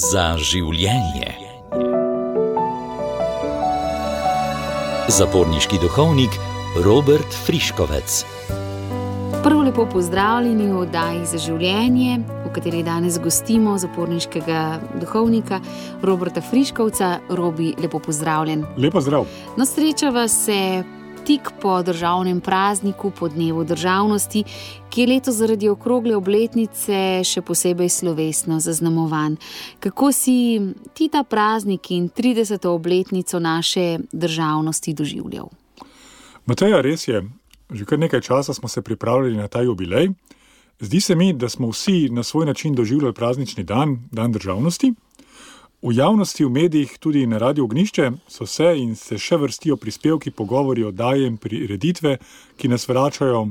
Za življenje. Zaporniški duhovnik Robert Friškovec. Prav lepo pozdravljeni v oddaji Za življenje, v kateri danes gostimo zaporniškega duhovnika Roberta Friškovca. Robi, lepo pozdravljen. Lepo zdrav. No, srečava se tik po državnem prazniku, po dnevu državnosti, ki je letos zaradi okrogle obletnice še posebej slovesno zaznamovan. Kako si ti ta praznik in 30. obletnico naše državnosti doživljal? Mateja, res je. Že kar nekaj časa smo se pripravljali na ta jubilej. Zdi se mi, da smo vsi na svoj način doživljali praznični dan, dan državnosti. V javnosti, v medijih, tudi na Radiu Ognjišče so se in se še vrstijo prispevki, pogovori, oddaje in prireditve, ki nas vračajo,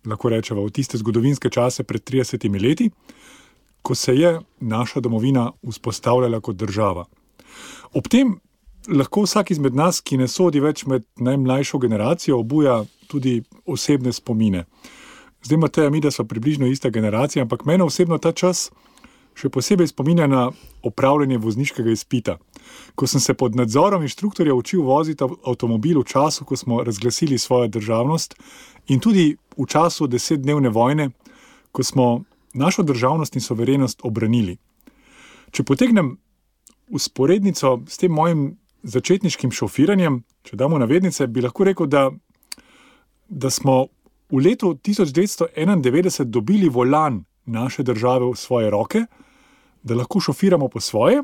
lahko rečemo, v tiste zgodovinske čase pred 30 leti, ko se je naša domovina vzpostavljala kot država. Ob tem lahko vsak izmed nas, ki ne sodi več med najmlajšo generacijo, obuja tudi osebne spomine. Zdaj, Mateja, mi, da smo približno ista generacija, ampak mene osebno ta čas še posebej spominja na opravljanje vozniškega izpita. Ko sem se pod nadzorom inštruktorja učil voziti avtomobil v času, ko smo razglasili svojo državnost, in tudi v času 10-dnevne vojne, ko smo našo državnost in suverenost obranili. Če potegnem vzporednico s tem mojim začetniškim šofiranjem, če damo navednice, bi lahko rekel, da smo v letu 1991 dobili volan naše države v svoje roke, da lahko šofiramo po svoje.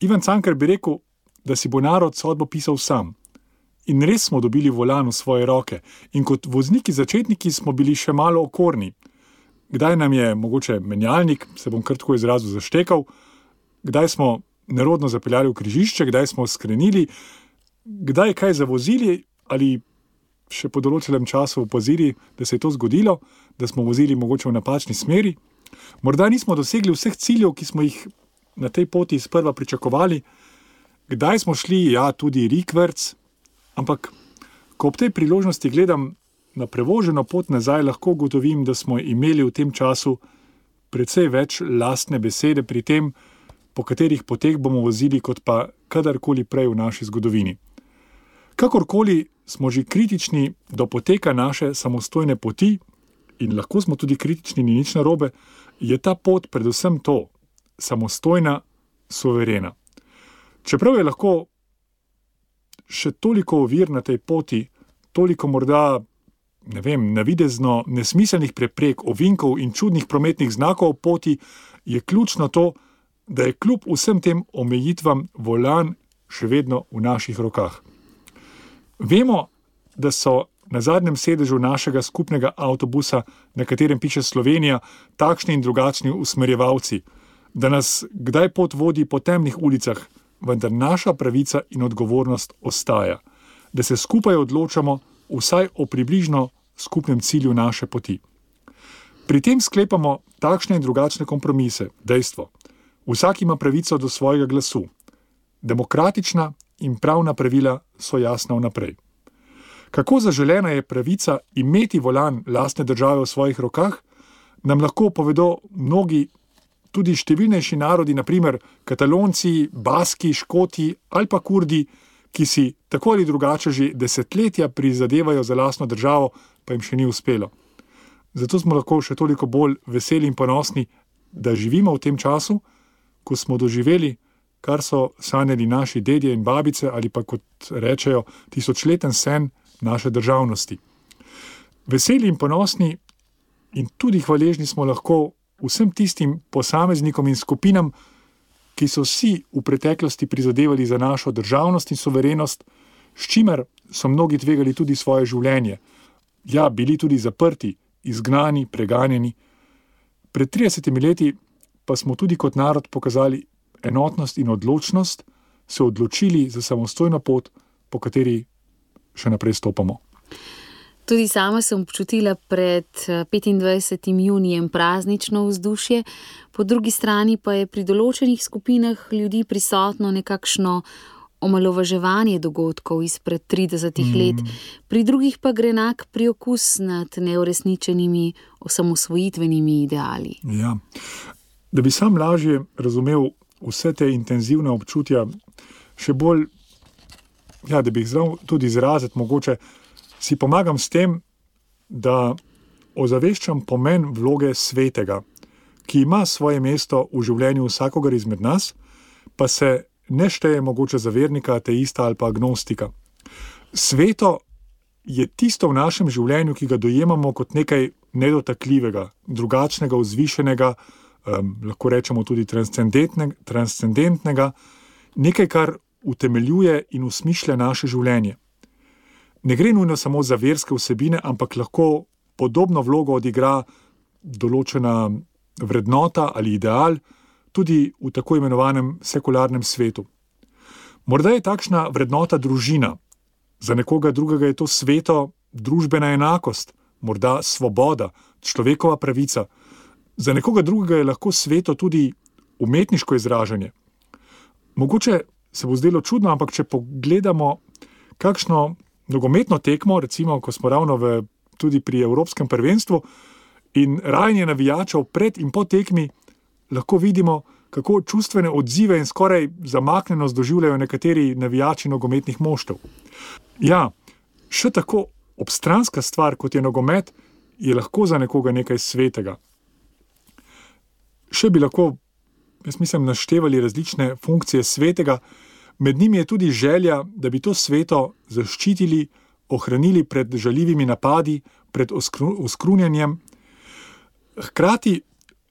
Ivan Cankar bi rekel, da si bo narod sodbo pisal sam. In res smo dobili volan v svoje roke. In kot vozniki začetniki smo bili še malo okorni. Kdaj nam je mogoče menjalnik, se bom kar tako izrazil, zaštekal, kdaj smo nerodno zapeljali v križišče, kdaj smo skrenili, kdaj kaj zavozili ali še po določenem času opazili, da se je to zgodilo, da smo vozili mogoče v napačni smeri. Morda nismo dosegli vseh ciljev, ki smo jih na tej poti sprva pričakovali. Kdaj smo šli, tudi rikverc, ampak ko ob tej priložnosti gledam na prevoženo pot nazaj, lahko ugotovim, da smo imeli v tem času precej več lastne besede pri tem, po katerih poteh bomo vozili, kot pa kadarkoli prej v naši zgodovini. Kakorkoli smo že kritični do poteka naše samostojne poti, in lahko smo tudi kritični, ni nič narobe, je ta pot predvsem to, samostojna, suverena. Čeprav je lahko še toliko ovir na tej poti, toliko morda, navidezno nesmiselnih preprek, ovinkov in čudnih prometnih znakov poti, je ključno to, da je kljub vsem tem omejitvam volan še vedno v naših rokah. Vemo, da so na zadnjem sedežu našega skupnega avtobusa, na katerem piše Slovenija, takšni in drugačni usmerjevalci, da nas kdaj pot vodi po temnih ulicah, vendar naša pravica in odgovornost ostaja, da se skupaj odločamo vsaj o približno skupnem cilju naše poti. Pri tem sklepamo takšne in drugačne kompromise, dejstvo. Vsak ima pravico do svojega glasu. Demokratična in pravna pravila so jasna vnaprej. Kako zaželena je pravica imeti volan lastne države v svojih rokah, nam lahko povedo mnogi, tudi številnejši narodi, na primer Katalonci, Baski, Škoti ali pa Kurdi, ki si tako ali drugače že desetletja prizadevajo za lastno državo, pa jim še ni uspelo. Zato smo lahko še toliko bolj veseli in ponosni, da živimo v tem času, ko smo doživeli, kar so sanjali naši dedje in babice, ali pa kot rečejo, tisočleten sen naše državnosti. Veseli in ponosni in tudi hvaležni smo lahko vsem tistim posameznikom in skupinam, ki so si v preteklosti prizadevali za našo državnost in suverenost, s čimer so mnogi tvegali tudi svoje življenje. Bili tudi zaprti, izgnani, preganjeni. Pred 30 leti pa smo tudi kot narod pokazali enotnost in odločnost, se odločili za samostojno pot, po kateri še naprej stopamo. Tudi sama sem občutila pred 25. junijem praznično vzdušje, po drugi strani pa je pri določenih skupinah ljudi prisotno nekakšno omalovaževanje dogodkov izpred 30 let, pri drugih pa gre enak priokus nad neuresničenimi osamosvojitvenimi ideali. Da bi sam lažje razumel vse te intenzivne občutja, še bolj, da bi jih znal tudi izraziti, mogoče si pomagam s tem, da ozaveščam pomen vloge svetega, ki ima svoje mesto v življenju vsakogar izmed nas, pa se ne šteje mogoče za vernika, ateista ali pa agnostika. Sveto je tisto v našem življenju, ki ga dojemamo kot nekaj nedotakljivega, drugačnega, vzvišenega, lahko rečemo tudi transcendentnega, nekaj, kar utemeljuje in usmišlja naše življenje. Ne gre nujno samo za verske vsebine, ampak lahko podobno vlogo odigra določena vrednota ali ideal tudi v tako imenovanem sekularnem svetu. Morda je takšna vrednota družina, za nekoga drugega je to sveto družbena enakost, morda svoboda, človekova pravica, za nekoga drugega je lahko sveto tudi umetniško izražanje. Mogoče se bo zdelo čudno, ampak če pogledamo kakšno nogometno tekmo, recimo, ko smo ravno tudi pri Evropskem prvenstvu in rajanje navijačev pred in po tekmi, lahko vidimo, kako čustvene odzive in skoraj zamaknjenost doživljajo nekateri navijači nogometnih moštev. Ja, še tako obstranska stvar, kot je nogomet, je lahko za nekoga nekaj svetega. Še bi lahko, jaz mislim, naštevali različne funkcije svetega, med njimi je tudi želja, da bi to sveto zaščitili, ohranili pred žaljivimi napadi, pred oskrunjanjem. Hkrati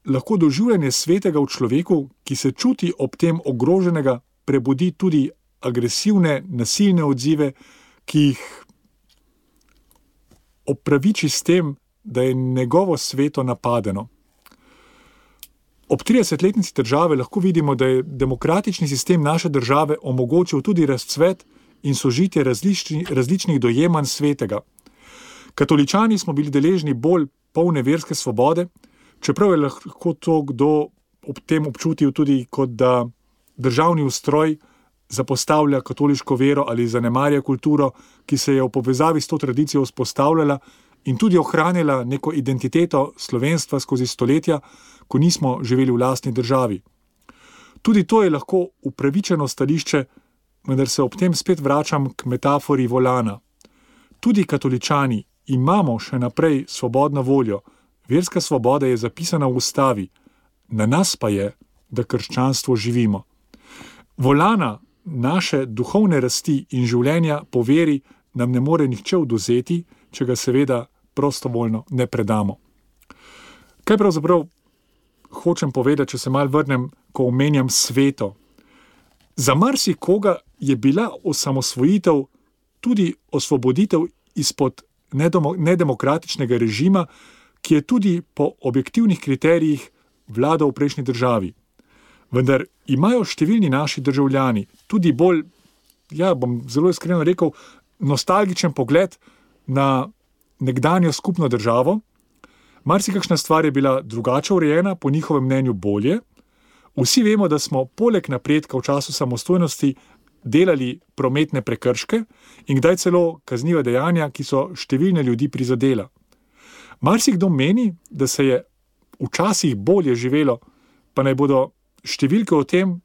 lahko doživljanje svetega v človeku, ki se čuti ob tem ogroženega, prebudi tudi agresivne, nasilne odzive, ki jih opraviči s tem, da je njegovo sveto napadeno. Ob 30-letnici države lahko vidimo, da je demokratični sistem naše države omogočil tudi razcvet in sožitje različnih dojemanj svetega. Katoličani smo bili deležni bolj polne verske svobode, čeprav je lahko to kdo ob tem občutil tudi, kot da državni ustroj zapostavlja katoliško vero ali zanemarja kulturo, ki se je v povezavi s to tradicijo vzpostavljala in tudi ohranila neko identiteto slovenstva skozi stoletja, ko nismo živeli v lastni državi. Tudi to je lahko upravičeno stališče, vendar se ob tem spet vračam k metafori volana. Tudi katoličani imamo še naprej svobodno voljo, verska svoboda je zapisana v ustavi, na nas pa je, da krščanstvo živimo. Volana naše duhovne rasti in življenja po veri nam ne more nihče odvzeti, če ga seveda prostovoljno ne predamo. Kaj pravzaprav hočem povedati, če se malo vrnem, ko omenjam sveto? Za marsikoga je bila osamosvojitev tudi osvoboditev izpod nedemokratičnega režima, ki je tudi po objektivnih kriterijih vladal v prejšnji državi. Vendar imajo številni naši državljani tudi bolj, bom zelo iskreno rekel, nostalgičen pogled na nekdanjo skupno državo. Marsikakšna stvar je bila drugače urejena, po njihovem mnenju bolje. Vsi vemo, da smo poleg napredka v času samostojnosti delali prometne prekrške in kdaj celo kazniva dejanja, ki so številne ljudi prizadela. Marsikdo meni, da se je včasih bolje živelo, pa naj bodo številke o tem,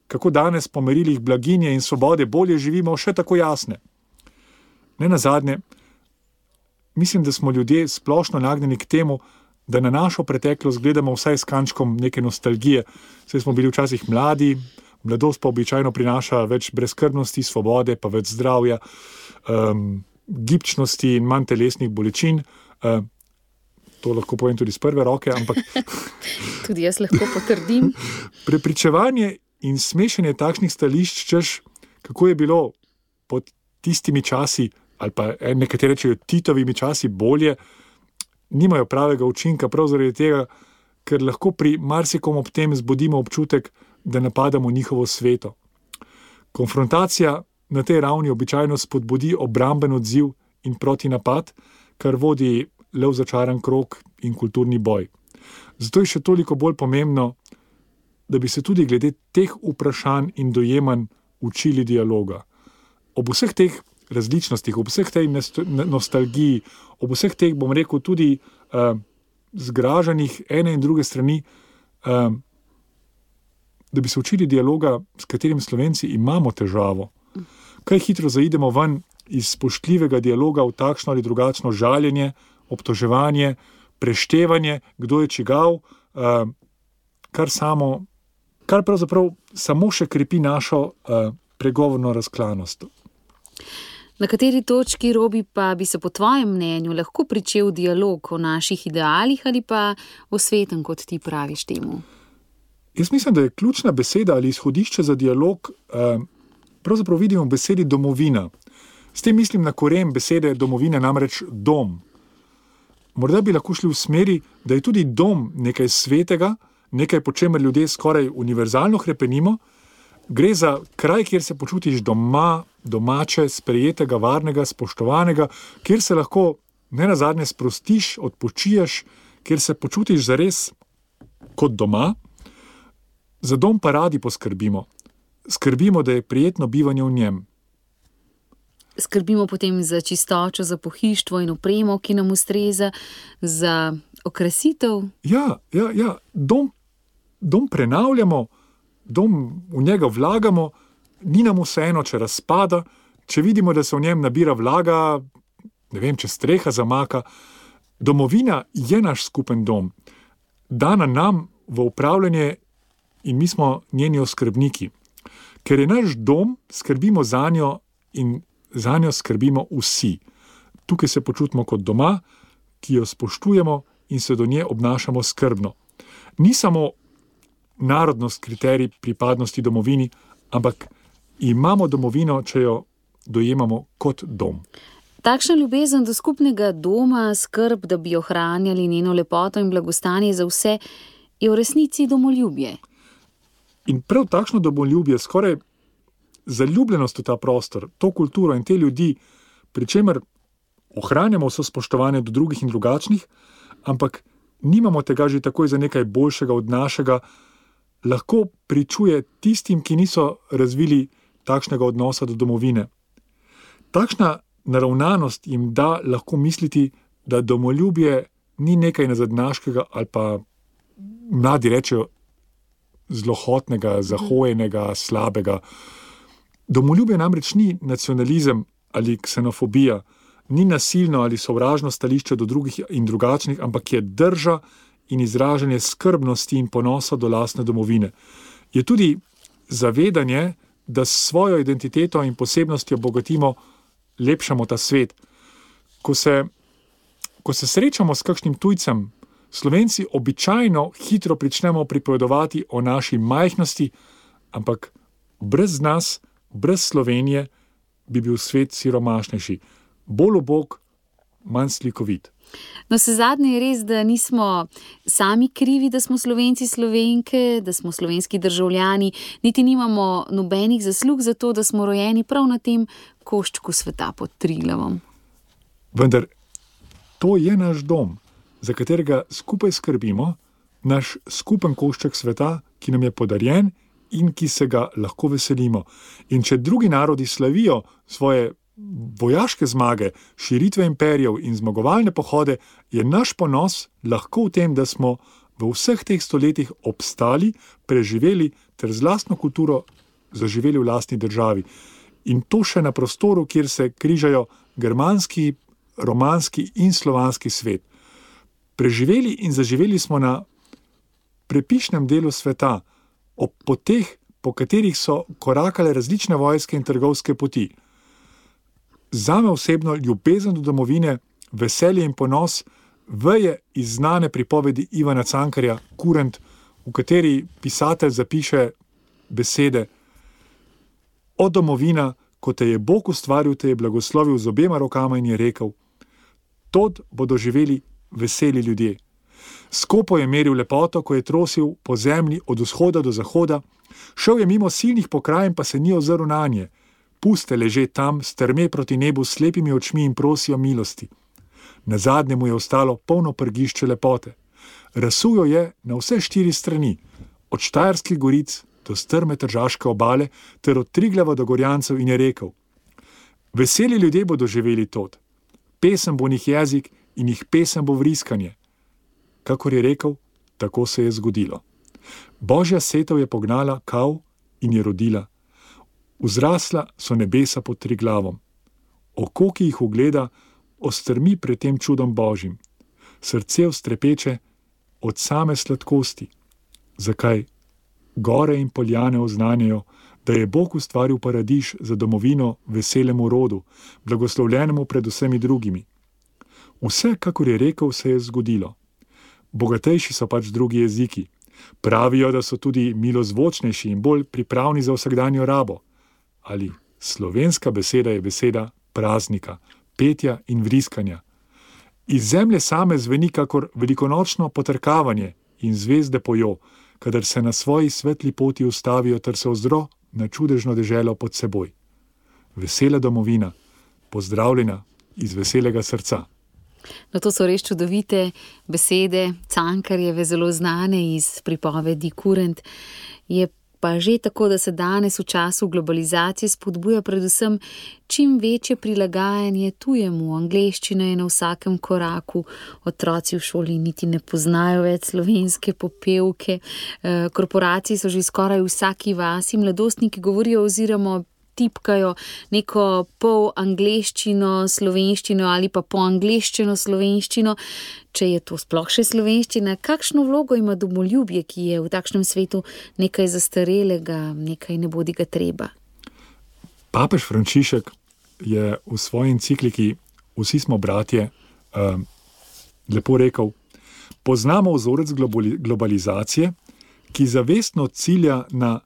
kako danes po merilih blaginje in svobode bolje živimo, še tako jasne. Nenazadnje, mislim, da smo ljudje splošno nagnjeni k temu, da na našo preteklost gledamo vsaj s kančkom neke nostalgije. Saj smo bili včasih mladi, mladost pa običajno prinaša več brezskrbnosti, svobode, pa več zdravja, gibčnosti in manj telesnih bolečin. To lahko povem tudi z prve roke, ampak tudi jaz lahko potrdim. Prepričevanje in smešanje takšnih stališč, češ, kako je bilo pod tistimi časi, ali pa nekateri rečejo Titovimi časi bolje, nimajo pravega učinka, prav zaradi tega, ker lahko pri marsikom ob tem zbudimo občutek, da napadamo njihovo sveto. Konfrontacija na tej ravni običajno spodbudi obramben odziv in protinapad, kar vodi le v začaran krog in kulturni boj. Zato je še toliko bolj pomembno, da bi se tudi glede teh vprašanj in dojemanj učili dialoga. Ob vseh teh različnostih, ob vseh tej nostalgiji, ob vseh teh, bom rekel, tudi zgražanih ene in druge strani, da bi se učili dialoga, s katerim Slovenci imamo težavo. Kaj hitro zaidemo ven iz spoštljivega dialoga v takšno ali drugačno žaljenje, obtoževanje, preštevanje, kdo je čigav, kar pravzaprav samo še krepi našo pregovorno razklanost. Na kateri točki, Robi, pa bi se po tvojem mnenju lahko pričel dialog o naših idealih ali pa o svetem, kot ti praviš temu? Jaz mislim, da je ključna beseda ali izhodišče za dialog, pravzaprav vidimo v besedi domovina. S tem mislim na koren besede domovine, namreč dom. Morda bi lahko šli v smeri, da je tudi dom nekaj svetega, nekaj, po čemer ljudje skoraj univerzalno hrepenimo. Gre za kraj, kjer se počutiš doma, domače, sprejetega, varnega, spoštovanega, kjer se lahko nenazadnje sprostiš, odpočiješ, kjer se počutiš zares kot doma. Za dom pa radi poskrbimo. Skrbimo, da je prijetno bivanje v njem. Skrbimo potem za čistočo, za pohištvo in opremo, ki nam ustreza, za okrasitev. Ja. Dom prenavljamo, v njega vlagamo, ni nam vseeno, če razpada, če vidimo, da se v njem nabira vlaga, ne vem, če streha zamaka. Domovina je naš skupen dom, dana nam v upravljanje in mi smo njeni oskrbniki. Ker je naš dom, skrbimo zanjo in zanjo skrbimo vsi. Tukaj se počutimo kot doma, ki jo spoštujemo in se do nje obnašamo skrbno. Ni samo narodnost kriterij pripadnosti domovini, ampak imamo domovino, če jo dojemamo kot dom. Takšna ljubezen do skupnega doma, skrb, da bi ohranjali njeno lepoto in blagostanje za vse, je v resnici domoljubje. In prav takšno domoljubje, skoraj zaljubljenost v ta prostor, to kulturo in te ljudi, pri čemer ohranjamo vso spoštovanje do drugih in drugačnih, ampak nimamo tega že takoj za nekaj boljšega od našega, lahko pričuje tistim, ki niso razvili takšnega odnosa do domovine. Takšna naravnanost jim da lahko misliti, da domoljubje ni nekaj nazadnjaškega ali pa mladi rečejo zlohotnega, zahojenega, slabega. Domoljubje namreč ni nacionalizem ali ksenofobija, ni nasilno ali sovražno stališče do drugih in drugačnih, ampak je drža in izražanje skrbnosti in ponosa do lastne domovine. Je tudi zavedanje, da s svojo identiteto in posebnostjo bogatimo, lepšamo ta svet. Ko se srečamo s kakšnim tujcem, Slovenci običajno hitro pričnemo pripovedovati o naši majhnosti, ampak brez nas, brez Slovenije, bi bil svet siromašnejši. Bolj ubog, manj slikovit. No, vsezadnje je res, da nismo sami krivi, da smo Slovenci, Slovenke, da smo slovenski državljani, niti nimamo nobenih zaslug za to, da smo rojeni prav na tem koščku sveta pod Triglavom. Vendar to je naš dom, za katerega skupaj skrbimo, naš skupen košček sveta, ki nam je podarjen in ki se ga lahko veselimo. In če drugi narodi slavijo svoje vojaške zmage, širitve imperijev in zmagovalne pohode, je naš ponos lahko v tem, da smo v vseh teh stoletjih obstali, preživeli ter z lastno kulturo zaživeli v lastni državi. In to še na prostoru, kjer se križajo germanski, romanski in slovanski svet. Preživeli in zaživeli smo na prepišnem delu sveta, ob poteh, po katerih so korakale različne vojske in trgovske poti. Zame osebno ljubezen do domovine, veselje in ponos veje iz znane pripovedi Ivana Cankarja Kurent, v kateri pisatelj zapiše besede: O domovina, ko te je Bog ustvaril, te je blagoslovil z obema rokama in je rekel: Tod bodo živeli veseli ljudje. Skopo je meril lepoto, ko je trosil po zemlji od vzhoda do zahoda, šel je mimo silnih pokrajin, pa se ni ozrl nanje. Puste leže tam, strme proti nebu s slepimi očmi in prosijo milosti. Nazadnje mu je ostalo polno prgišče lepote. Razsujo je na vse 4 strani, od Štajerskih goric do strme tržaške obale ter od Triglava do Gorjancev, in je rekel: Veseli ljudje bodo živeli tod. Pesem bo njih jezik in jih pesem bo vriskanje. Kakor je rekel, tako se je zgodilo. Božja setev je pognala kav in je rodila. Vzrasla so nebesa pod Triglavom. Oko, ki jih ugleda, ostrmi pred tem čudom Božjim. Srce vstrepeče od same sladkosti. Zakaj? Gore in poljane oznanjajo, da je Bog ustvaril paradiž za domovino veselemu rodu, blagoslovljenemu pred vsemi drugimi. Vse, kakor je rekel, se je zgodilo. Bogatejši so pač drugi jeziki. Pravijo, da so tudi milozvočnejši in bolj pripravni za vsakdanjo rabo. Ali slovenska beseda je beseda praznika, petja in vriskanja. Iz zemlje same zveni kakor velikonočno potrkavanje in zvezde pojo, kadar se na svoji svetli poti ustavijo ter se ozro na čudežno deželo pod seboj. Vesela domovina, pozdravljena iz veselega srca. No, to so res čudovite besede, Cankarjeve, zelo znane iz pripovedi Kurent. Je pa že tako, da se danes v času globalizacije spodbuja predvsem čim večje prilagajanje tujemu. Angleščina je na vsakem koraku, otroci v šoli niti ne poznajo več slovenske popevke, korporacije so že skoraj v vsaki vasi, mladostniki govorijo oziroma tipkajo neko pol angleščino, slovenščino ali pa po angleščino, slovenščino. Če je to sploh še slovenščina, kakšno vlogo ima domoljubje, ki je v takšnem svetu nekaj zastarelega, nekaj nebodiga treba? Papež Frančišek je v svoji encikliki Vsi smo bratje lepo rekel: poznamo vzorec globalizacije, ki zavestno cilja na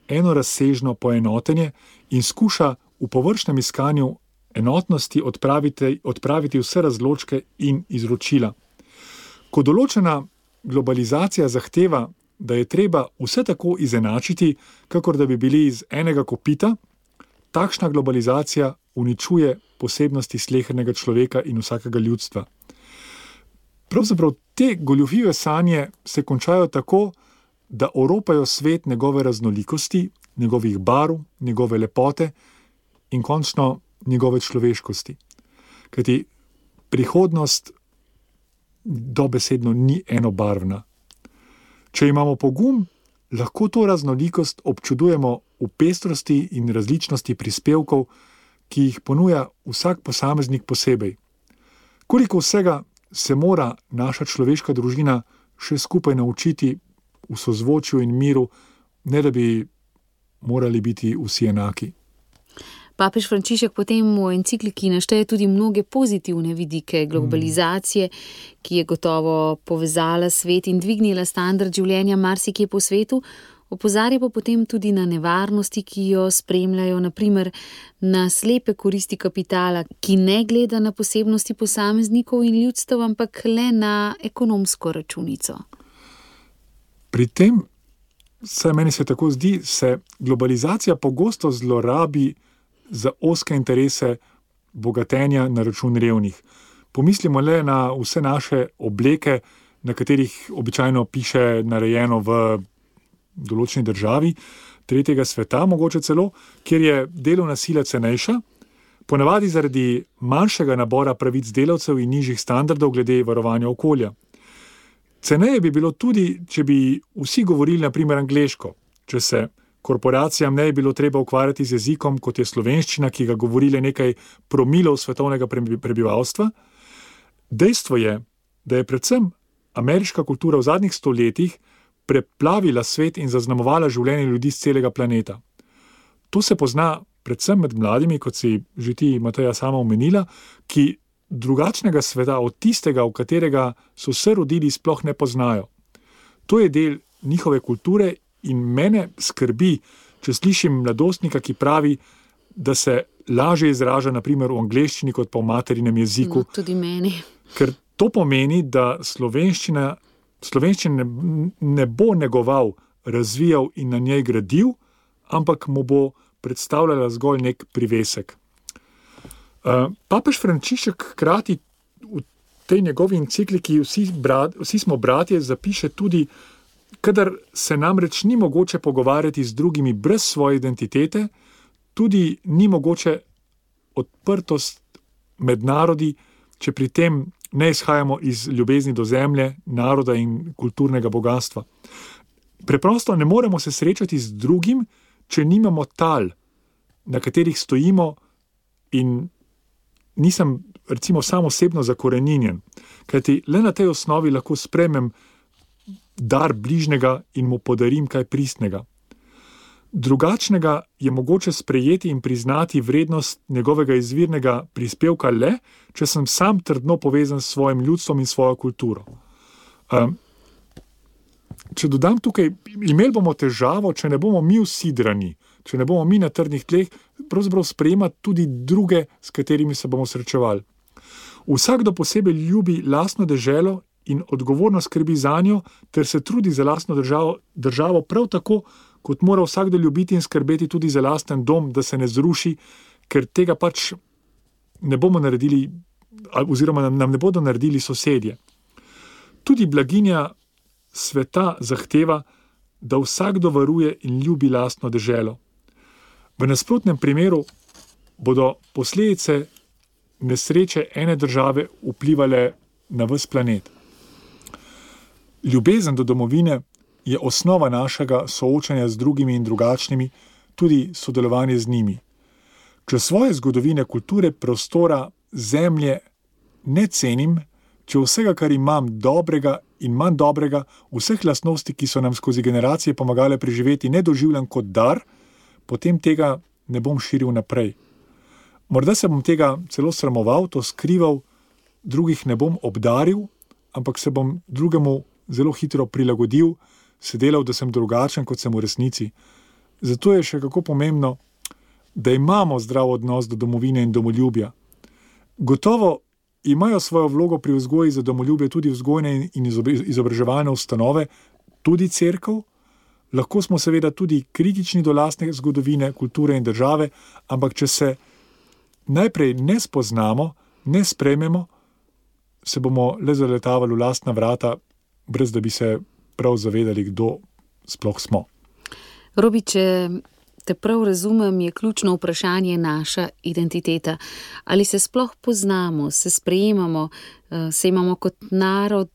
enorazsežno poenotenje in skuša v površnem iskanju enotnosti odpraviti vse razločke in izročila. Ko določena globalizacija zahteva, da je treba vse tako izenačiti, kakor da bi bili iz enega kopita, takšna globalizacija uničuje posebnosti slehernega človeka in vsakega ljudstva. Pravzaprav te goljufive sanje se končajo tako, da oropajo svet njegove raznolikosti, njegovih barv, njegove lepote in končno njegove človeškosti. Kajti prihodnost dobesedno ni enobarvna. Če imamo pogum, lahko to raznolikost občudujemo v pestrosti in različnosti prispevkov, ki jih ponuja vsak posameznik posebej. Koliko vsega se mora naša človeška družina še skupaj naučiti v sozvočju in miru, ne da bi morali biti vsi enaki. Papež Frančišek potem v encikliki našteje tudi mnoge pozitivne vidike globalizacije, ki je gotovo povezala svet in dvignila standard življenja marsikje po svetu, opozarja pa potem tudi na nevarnosti, ki jo spremljajo, na primer na slepe koristi kapitala, ki ne gleda na posebnosti posameznikov in ljudstev, ampak le na ekonomsko računico. Pri tem, saj meni se tako zdi, se globalizacija pogosto zlorabi za ozke interese bogatenja na račun revnih. Pomislimo le na vse naše obleke, na katerih običajno piše narejeno v določeni državi, tretjega sveta mogoče celo, kjer je delovna sila cenejša, ponavadi zaradi manjšega nabora pravic delavcev in nižjih standardov glede varovanja okolja. Ceneje bi bilo tudi, če bi vsi govorili na primer angleško, če se korporacijam ne bi bilo treba ukvarjati z jezikom, kot je slovenščina, ki ga govori le nekaj promilov svetovnega prebivalstva. Dejstvo je, da je predvsem ameriška kultura v zadnjih stoletjih preplavila svet in zaznamovala življenje ljudi z celega planeta. To se pozna predvsem med mladimi, kot si že ti, Mateja, sama omenila, ki drugačnega sveta od tistega, v katerega so se rodili, sploh ne poznajo. To je del njihove kulture in mene skrbi, če slišim mladostnika, ki pravi, da se lažje izraža na primer v angleščini kot pa v materinem jeziku. No, tudi meni. Ker to pomeni, da slovenščine ne bo negoval, razvijal in na njej gradil, ampak mu bo predstavljala zgolj nek privesek. Papež Frančišek hkrati v tej njegovi encikliki Vsi smo bratje zapiše tudi, kadar se namreč ni mogoče pogovarjati z drugimi brez svoje identitete, tudi ni mogoče odprtost med narodi, če pri tem ne izhajamo iz ljubezni do zemlje, naroda in kulturnega bogatstva. Preprosto ne moremo se srečati z drugim, če nimamo tal, na katerih stojimo, in nisem recimo sam osebno zakoreninjen, kajti le na tej osnovi lahko sprejmem dar bližnjega in mu podarim kaj pristnega. Drugačnega je mogoče sprejeti in priznati vrednost njegovega izvirnega prispevka le, če sem sam trdno povezan s svojim ljudstvom in svojo kulturo. Če dodam tukaj, imeli bomo težavo, če ne bomo mi usidrani, če ne bomo mi na trdnih tleh, pravzaprav sprejemati tudi druge, s katerimi se bomo srečevali. Vsakdo posebej ljubi lastno deželo in odgovorno skrbi zanjo, ter se trudi za lastno državo prav tako, kot mora vsakdo ljubiti in skrbeti tudi za lasten dom, da se ne zruši, ker tega pač ne bomo naredili, oziroma nam ne bodo naredili sosedje. Tudi blaginja sveta zahteva, da vsakdo varuje in ljubi lastno deželo. V nasprotnem primeru bodo posledice nesreče ene države vplivale na ves planet. Ljubezen do domovine je osnova našega soočanja z drugimi in drugačnimi, tudi sodelovanje z njimi. Če svoje zgodovine, kulture, prostora, zemlje ne cenim, če vsega, kar imam dobrega in manj dobrega, vseh lastnosti, ki so nam skozi generacije pomagale preživeti, ne doživljam kot dar, potem tega ne bom širil naprej. Morda se bom tega celo sramoval, to skrival, drugih ne bom obdaril, ampak se bom drugemu zelo hitro prilagodil, se delal, da sem drugačen, kot sem v resnici. Zato je še kako pomembno, da imamo zdrav odnos do domovine in domoljubja. Gotovo imajo svojo vlogo pri vzgoji za domoljubje tudi vzgojne in izobraževalne ustanove, tudi cerkev. Lahko smo seveda tudi kritični do lastne zgodovine, kulture in države, ampak če se najprej ne spoznamo, ne sprejmemo, se bomo le zaletavali v lastna vrata, brez da bi se prav zavedali, kdo sploh smo. Robi, če te prav razumem, je ključno vprašanje naša identiteta. Ali se sploh poznamo, se sprejemamo, se imamo kot narod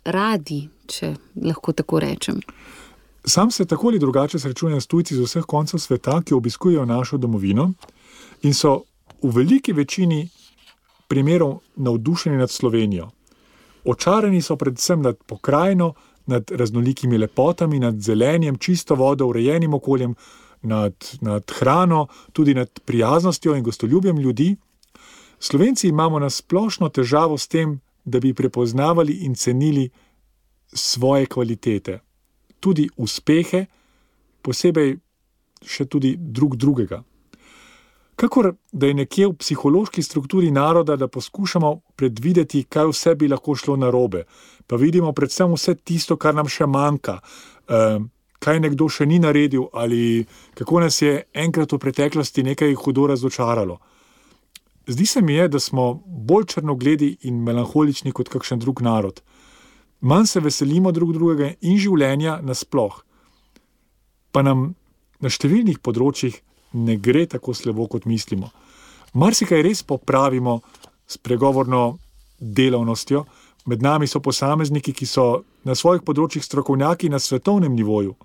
radi, če lahko tako rečem? Sam se tako ali drugače srečujem s tujci z vseh koncev sveta, ki obiskujejo našo domovino in so v veliki večini primerov navdušeni nad Slovenijo. Očarani so predvsem nad pokrajino, nad raznolikimi lepotami, nad zelenjem, čisto vodo, urejenim okoljem, nad hrano, tudi nad prijaznostjo in gostoljubjem ljudi. Slovenci imamo na splošno težavo s tem, da bi prepoznavali in cenili svoje kvalitete, tudi uspehe, posebej še tudi drugega. Kakor da je nekje v psihološki strukturi naroda, da poskušamo predvideti, kaj vse bi lahko šlo narobe, pa vidimo predvsem vse tisto, kar nam še manjka, kaj nekdo še ni naredil ali kako nas je enkrat v preteklosti nekaj hudo razočaralo. Zdi se mi je, da smo bolj črnogledi in melanholični kot kakšen drug narod. Manj se veselimo drugega in življenja nasploh. Pa nam na številnih področjih ne gre tako slabo, kot mislimo. Marsikaj res popravimo s pregovorno delavnostjo. Med nami so posamezniki, ki so na svojih področjih strokovnjaki na svetovnem nivoju.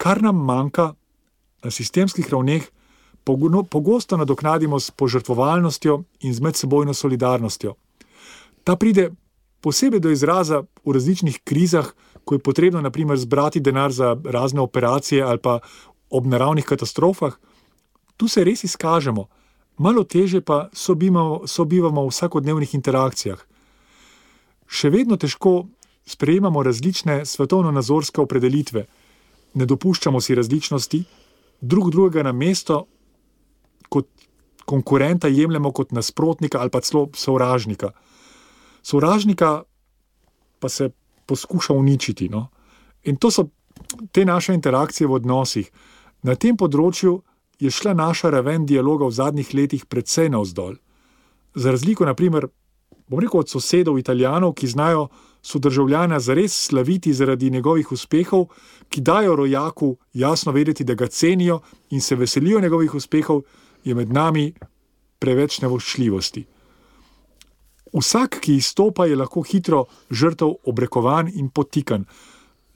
Kar nam manjka na sistemskih ravneh, pogosto nadoknadimo s požrtvovalnostjo in z medsebojno solidarnostjo. Ta pride posebej do izraza v različnih krizah, ko je potrebno na primer zbrati denar za razne operacije ali pa ob naravnih katastrofah. Tu se res izkažemo, malo teže pa sobivamo v vsakodnevnih interakcijah. Še vedno težko sprejemamo različne svetovno-nazorske opredelitve, ne dopuščamo si različnosti, drugega na mesto kot konkurenta jemljemo kot nasprotnika ali pa celo sovražnika. Sovražnika pa se poskuša uničiti. No? In to so te naše interakcije v odnosih. Na tem področju je šla naša raven dialoga v zadnjih letih precej navzdol. Za razliko, na primer, od sosedov Italijanov, ki znajo sodržavljana zares slaviti zaradi njegovih uspehov, ki dajo rojaku jasno vedeti, da ga cenijo in se veselijo njegovih uspehov, je med nami preveč nevoščljivosti. Vsak, ki izstopa, je lahko hitro žrtev obrekovan in potikan.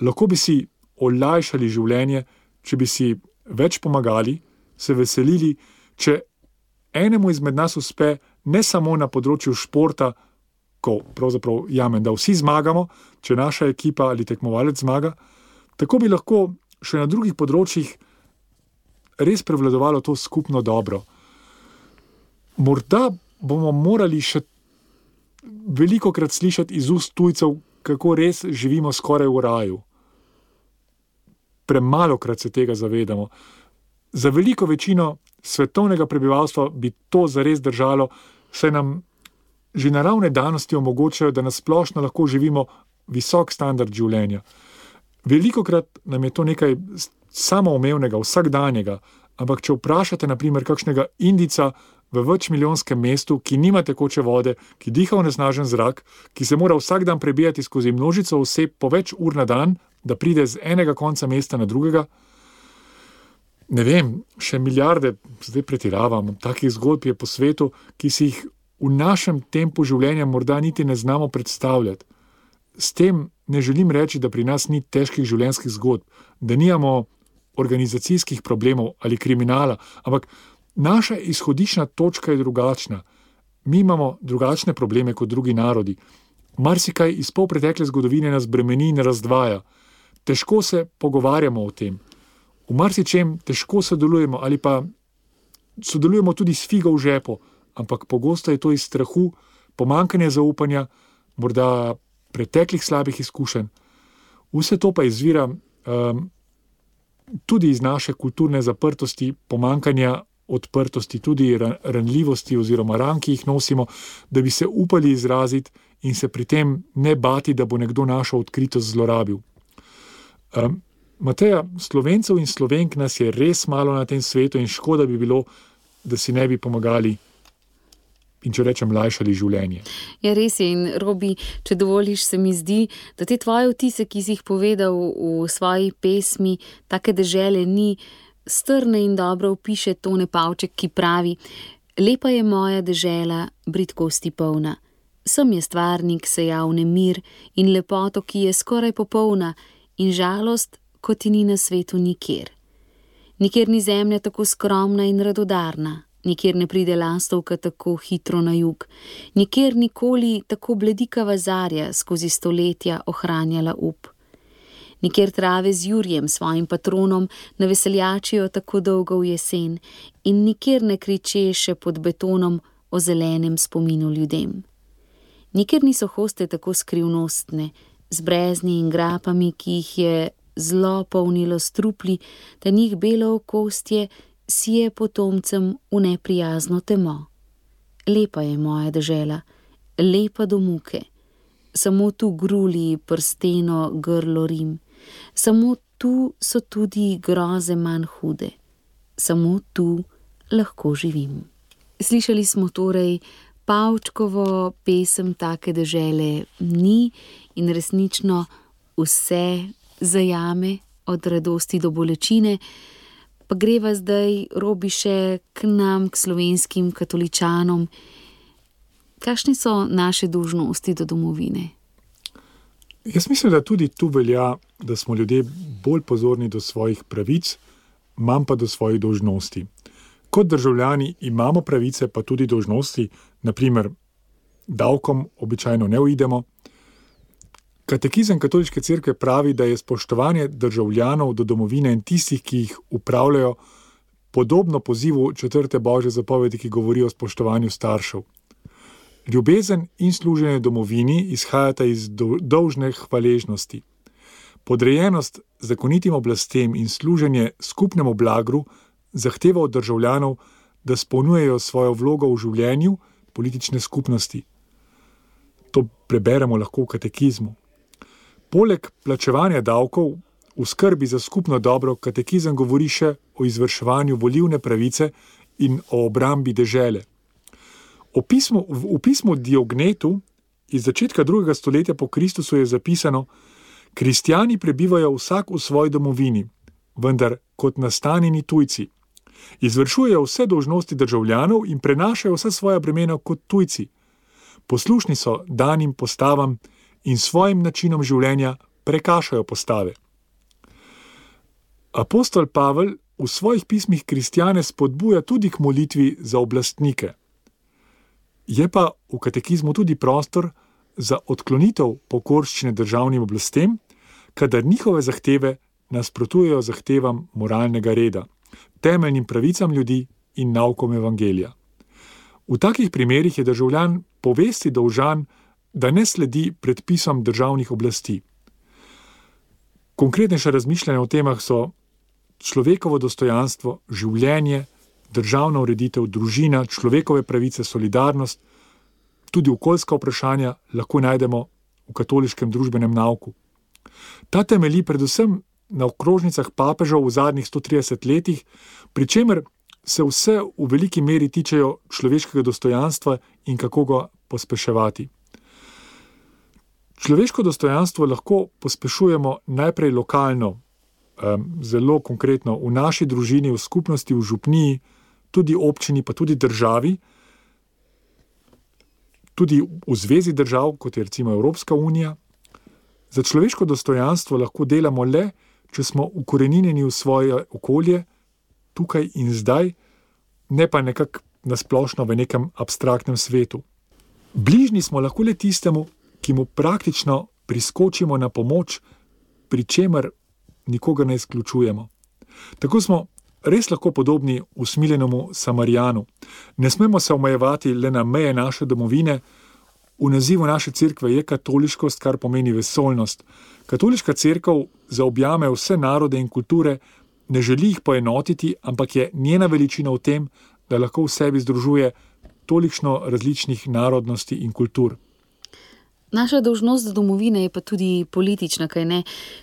Lahko bi si olajšali življenje, če bi si več pomagali, se veselili, če enemu izmed nas uspe ne samo na področju športa, ko pravzaprav jamen, da vsi zmagamo, če naša ekipa ali tekmovalec zmaga, tako bi lahko še na drugih področjih res prevladovalo to skupno dobro. Morda bomo morali še velikokrat slišati iz ust tujcev, kako res živimo skoraj v raju. Premalokrat se tega zavedamo. Za veliko večino svetovnega prebivalstva bi to zares držalo, saj nam že naravne danosti omogočajo, da nasplošno lahko živimo visok standard življenja. Velikokrat nam je to nekaj samoumevnega, vsakdanjega, ampak če vprašate na primer kakšnega Indijca v večmilijonskem mestu, ki nima tekoče vode, ki diha onesnažen zrak, ki se mora vsak dan prebijati skozi množico oseb po več ur na dan, da pride z enega konca mesta na drugega, ne vem, še milijarde, zdaj pretiravam, takih zgodb je po svetu, ki si jih v našem tempu življenja morda niti ne znamo predstavljati. S tem ne želim reči, da pri nas ni težkih življenjskih zgodb, da nimamo organizacijskih problemov ali kriminala, ampak naša izhodiščna točka je drugačna. Mi imamo drugačne probleme kot drugi narodi. Marsikaj iz polpretekle zgodovine nas bremeni in razdvaja. Težko se pogovarjamo o tem. V marsičem težko sodelujemo ali pa sodelujemo tudi s figo v žepu, ampak pogosto je to iz strahu, pomanjkanja zaupanja, morda preteklih slabih izkušenj. Vse to pa izvira tudi iz naše kulturne zaprtosti, pomanjkanja odprtosti, tudi ranljivosti oziroma ran, ki jih nosimo, da bi se upali izraziti in se pri tem ne bati, da bo nekdo našo odkritost zlorabil. Mateja, Slovencev in Slovenk nas je res malo na tem svetu in škoda bi bilo, da si ne bi pomagali in če rečem, lajšali življenje. Ja, res je. In Robi, če dovoliš, se mi zdi, da te tvoje vtise, ki si jih povedal v svoji pesmi, take dežele ni, strne in dobro opiše Tone Pavček, ki pravi: lepa je moja dežela, bridkosti polna. Sem je stvarnik sejal nemir in lepoto, ki je skoraj popolna, in žalost, kot ti ni na svetu nikjer. Nikjer ni zemlja tako skromna in radodarna, nikjer ne pride lastovka tako hitro na jug, nikjer nikoli tako bledikava zarja skozi stoletja ohranjala up. Nikjer trave z jurjem, svojim patronom, ne veseljačijo tako dolgo v jesen in nikjer ne kriče še pod betonom o zelenem spominu ljudem. Nikjer niso hoste tako skrivnostne, z brezni in grapami, ki jih je zlo polnilo strupli, da njih belo okostje sije potomcem v neprijazno temo. Lepa je moja dežela, lepa do muke. Samo tu gruli prsteno grlo Rim. Samo tu so tudi groze manj hude. Samo tu lahko živim. Slišali smo torej Pavčkovo pesem Take dežele ni in resnično vse zajame, od radosti do bolečine. Pa greva zdaj, Robi, še k nam, k slovenskim katoličanom. Kakšne so naše dolžnosti do domovine? Jaz mislim, da tudi tu velja, da smo ljudje bolj pozorni do svojih pravic, manj pa do svojih dolžnosti. Kot državljani imamo pravice, pa tudi dolžnosti, naprimer davkom običajno ne uidemo. Katekizem Katoliške cerkve pravi, da je spoštovanje državljanov do domovine in tistih, ki jih upravljajo, podobno pozivu 4. Božje zapovedi, ki govori o spoštovanju staršev. Ljubezen in služenje domovini izhajata iz dolžne hvaležnosti. Podrejenost zakonitim oblastem in služenje skupnemu blagru zahteva od državljanov, da spolnjujejo svojo vlogo v življenju politične skupnosti. To preberemo lahko v katekizmu. Poleg plačevanja davkov v skrbi za skupno dobro, katekizem govori še o izvrševanju volilne pravice in o obrambi dežele. V pismu Diognetu iz začetka 2. stoletja po Kristusu je zapisano: kristjani prebivajo vsak v svoji domovini, vendar kot nastanjeni tujci. Izvršujejo vse dolžnosti državljanov in prenašajo vsa svoja bremena kot tujci. Poslušni so danim postavam in svojim načinom življenja prekašajo postave. Apostol Pavel v svojih pismih kristjane spodbuja tudi k molitvi za oblastnike. Je pa v katekizmu tudi prostor za odklonitev pokorščine državnim oblastem, kadar njihove zahteve nasprotujejo zahtevam moralnega reda, temeljnim pravicam ljudi in naukom evangelija. V takih primerih je državljan povesti dolžan, da ne sledi predpisom državnih oblasti. Konkretnejša razmišljanja o temah so človekovo dostojanstvo, življenje, državna ureditev, družina, človekove pravice, solidarnost, tudi okoljska vprašanja lahko najdemo v katoliškem družbenem nauku. Ta temelji predvsem na okrožnicah papežev v zadnjih 130 letih, pri čemer se vse v veliki meri tičejo človeškega dostojanstva in kako ga pospeševati. Človeško dostojanstvo lahko pospešujemo najprej lokalno, zelo konkretno v naši družini, v skupnosti, v župniji, tudi občini, pa tudi državi, tudi v zvezi držav, kot je recimo Evropska unija. Za človeško dostojanstvo lahko delamo le, če smo ukoreninjeni v svoje okolje, tukaj in zdaj, ne pa nekako nasplošno v nekem abstraktnem svetu. Bližnji smo lahko le tistemu, ki mu praktično priskočimo na pomoč, pri čemer nikogar ne izključujemo. Tako smo res lahko podobni usmiljenemu Samarijanu. Ne smemo se omejevati le na meje naše domovine. V nazivu naše cerkve je katoliškost, kar pomeni vesoljnost. Katoliška cerkev zaobjame vse narode in kulture, ne želi jih poenotiti, ampak je njena veličina v tem, da lahko v sebi združuje tolikšno različnih narodnosti in kultur. Naša dolžnost do domovine je pa tudi politična, kaj ne?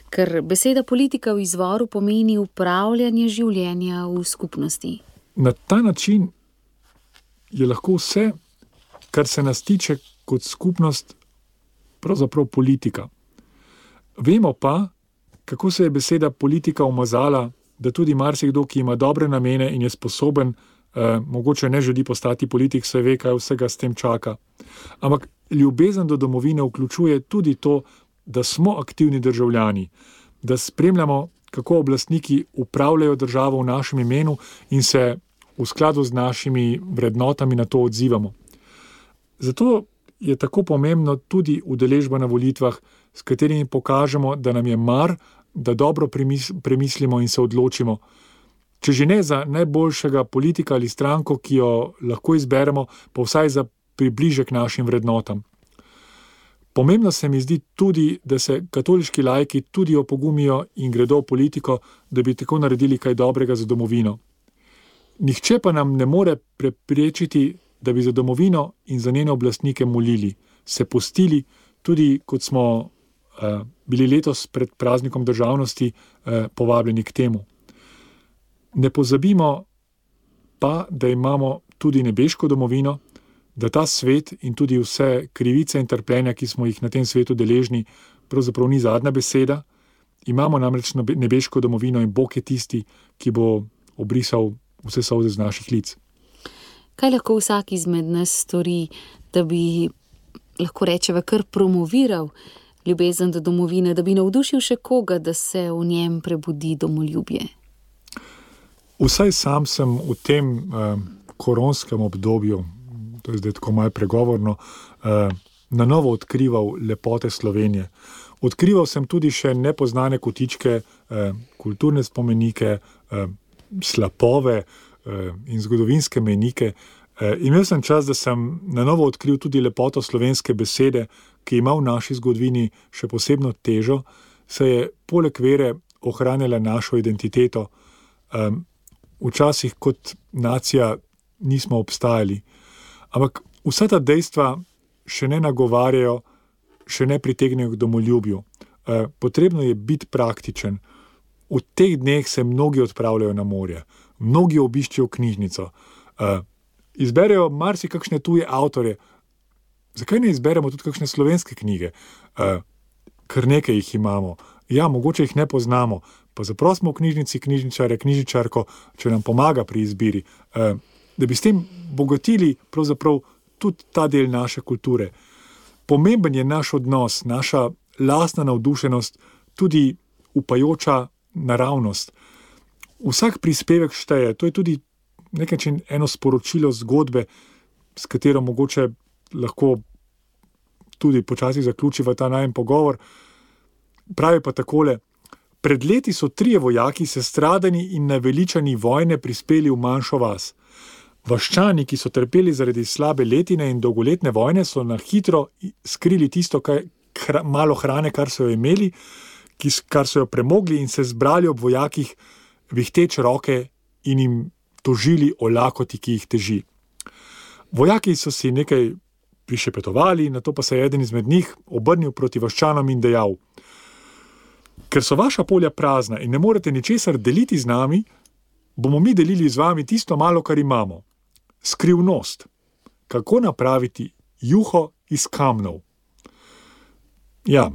Ker beseda politika v izvoru pomeni upravljanje življenja v skupnosti. Na ta način je lahko vse, kar se nas tiče kot skupnost, pravzaprav politika. Vemo pa, kako se je beseda politika umazala, da tudi marsikdo, ki ima dobre namene in je sposoben, mogoče ne želi postati politik, se ve, kaj vsega s tem čaka. Ampak ljubezen do domovine vključuje tudi to, da smo aktivni državljani, da spremljamo, kako oblastniki upravljajo državo v našem imenu in se v skladu z našimi vrednotami na to odzivamo. Zato je tako pomembno tudi udeležba na volitvah, s katerimi pokažemo, da nam je mar, da dobro premislimo in se odločimo. Če že ne za najboljšega politika ali stranko, ki jo lahko izberemo, pa vsaj za približek našim vrednotam. Pomembno se mi zdi tudi, da se katoliški laiki tudi opogumijo in gredo v politiko, da bi tako naredili kaj dobrega za domovino. Nihče pa nam ne more preprečiti, da bi za domovino in za njene oblastnike molili, se postili, tudi kot smo bili letos pred praznikom državnosti povabljeni k temu. Ne pozabimo pa, da imamo tudi nebeško domovino, da ta svet in tudi vse krivice in trpljenja, ki smo jih na tem svetu deležni, pravzaprav ni zadnja beseda. Imamo namreč nebeško domovino in Bog je tisti, ki bo obrisal vse solze z naših lic. Kaj lahko vsak izmed nas stori, da bi, lahko rečeva, kar promoviral ljubezen do domovine, da bi navdušil še koga, da se v njem prebudi domoljubje? Vsaj sam sem v tem koronskem obdobju, to je zdaj tako malo pregovorno, na novo odkrival lepote Slovenije. Odkrival sem tudi še nepoznane kotičke, kulturne spomenike, slapove in zgodovinske mejnike. Imel sem čas, da sem na novo odkril tudi lepoto slovenske besede, ki ima v naši zgodovini še posebno težo, saj je poleg vere ohranjala našo identiteto. Včasih kot nacija nismo obstajali. Ampak vsa ta dejstva še ne nagovarjajo, še ne pritegnejo k domoljubju. Potrebno je biti praktičen. V teh dneh se mnogi odpravljajo na morje, mnogi obiščejo knjižnico, izberejo marsikakšne tuje avtorje. Zakaj ne izberemo tudi kakšne slovenske knjige? Kar nekaj jih imamo. Ja, mogoče jih ne poznamo, pa zaprosimo v knjižnici knjižničarja, knjižničarko, če nam pomaga pri izbiri, da bi s tem bogatili pravzaprav tudi ta del naše kulture. Pomemben je naš odnos, naša lastna navdušenost, tudi upajoča naravnost. Vsak prispevek šteje, to je tudi nekaj eno sporočilo zgodbe, s katero mogoče lahko tudi počasi zaključiva ta najin pogovor. Pravi pa takole: pred leti so 3 vojaki sestradani in naveličani vojne prispeli v manjšo vas. Vaščani, ki so trpeli zaradi slabe letine in dolgoletne vojne, so na hitro skrili tisto malo hrane, kar so jo imeli, kar so jo premogli, in se zbrali ob vojakih, vihteč roke in jim tožili o lakoti, ki jih teži. Vojaki so si nekaj prišepetovali, nato pa se je eden izmed njih obrnil proti vaščanom in dejal: ker so vaša polja prazna in ne morete ničesar deliti z nami, bomo mi delili z vami tisto malo, kar imamo. Skrivnost, kako napraviti juho iz kamnov. Ja,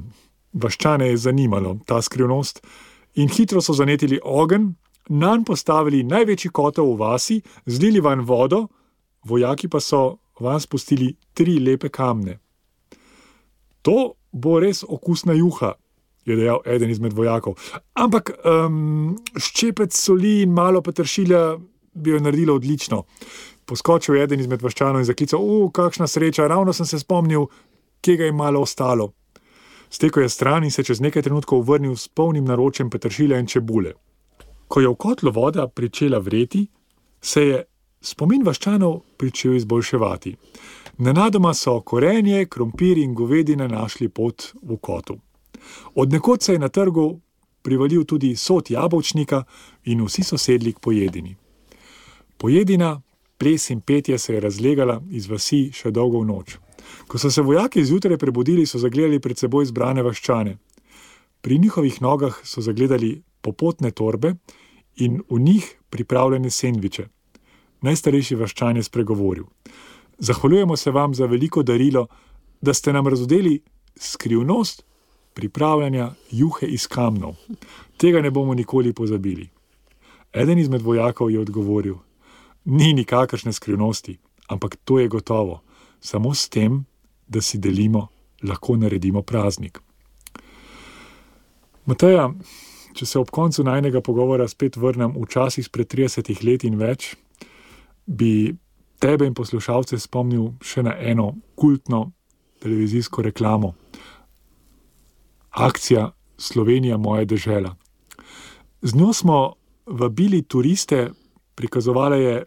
vaščane je zanimalo ta skrivnost in hitro so zanetili ogenj, nanj postavili največji kotel v vasi, zlili vanj vodo, vojaki pa so vanj spustili 3 lepe kamne. To bo res okusna juha, je dejal eden izmed vojakov. Ampak ščepec soli in malo peteršilja bi jo naredilo odlično. Poskočil je eden izmed vaščanov in zaklical: kakšna sreča, ravno sem se spomnil, kje ga je malo ostalo. Stekel je stran in se čez nekaj trenutkov vrnil s polnim naročjem peteršilja in čebule. Ko je v kotlu voda pričela vreti, se je spomin vaščanov pričel izboljševati. Nenadoma so korenje, krompir in govedina našli pot v kotu. Od nekod se je na trgu privalil tudi sod jabolčnika in vsi so sedli k pojedini. Pojedina, ples in petje se je razlegala iz vasi še dolgo v noč. Ko so se vojaki zjutraj prebudili, so zagledali pred seboj zbrane vaščane. Pri njihovih nogah so zagledali popotne torbe in v njih pripravljene sendviče. Najstarejši vaščan je spregovoril: zahvaljujemo se vam za veliko darilo, da ste nam razodeli skrivnost pripravljanja juhe iz kamnov. Tega ne bomo nikoli pozabili. Eden izmed vojakov je odgovoril: ni nikakršne skrivnosti, ampak to je gotovo. Samo s tem, da si delimo, lahko naredimo praznik. Mateja, če se ob koncu najnega pogovora spet vrnem v čas izpred 30 let in več, bi tebe in poslušalce spomnil še na eno kultno televizijsko reklamo. Akcija Slovenija, moja dežela. Z njo smo vabili turiste, prikazovala je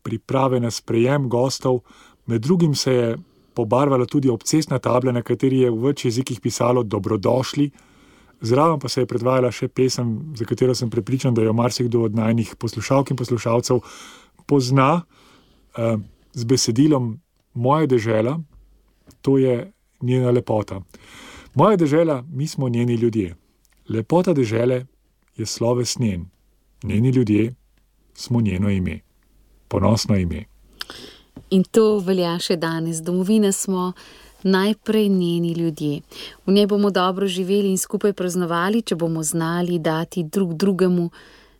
priprave na sprejem gostov, med drugim se je pobarvala tudi obcestna tabla, na kateri je v več jezikih pisalo dobrodošli, zraven pa se je predvajala še pesem, za katero sem prepričan, da jo marsikdo od najnih poslušalk in poslušalcev pozna, z besedilom Moja dežela, to je njena lepota. Moja dežela, mi smo njeni ljudje. Lepota dežele je sloves njen. Njeni ljudje smo njeno ime. Ponosno ime. In to velja še danes. Domovina smo najprej njeni ljudje. V njej bomo dobro živeli in skupaj praznovali, če bomo znali dati drug drugemu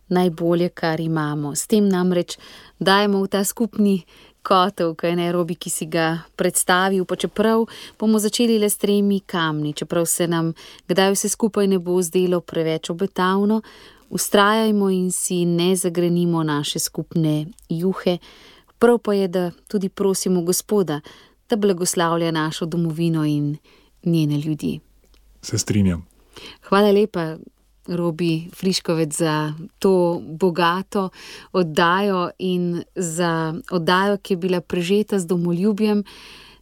najbolje, kar imamo. S tem namreč dajemo v ta skupni kotel, kaj ne, Robi, ki si ga predstavil, pa čeprav bomo začeli le s 3 kamni, čeprav se nam kdaj vse skupaj ne bo zdelo preveč obetavno, vztrajajmo in si ne zagrenimo naše skupne juhe. Prav pa je, da tudi prosimo Gospoda, da blagoslavlja našo domovino in njene ljudi. Se strinjam. Hvala lepa, Robi Friškovec, za to bogato oddajo in za oddajo, ki je bila prežeta z domoljubjem.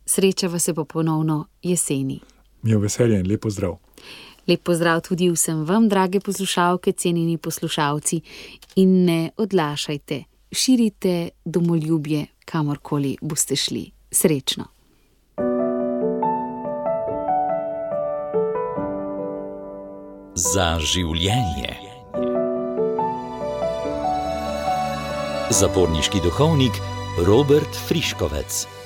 Srečava se pa ponovno jeseni. Mi je veselje in lep pozdrav. Lep pozdrav tudi vsem vam, drage poslušalke, cenjeni poslušalci, in ne odlašajte. Širite domoljubje, kamorkoli boste šli. Srečno. Za življenje. Zaporniški duhovnik Robert Friškovec.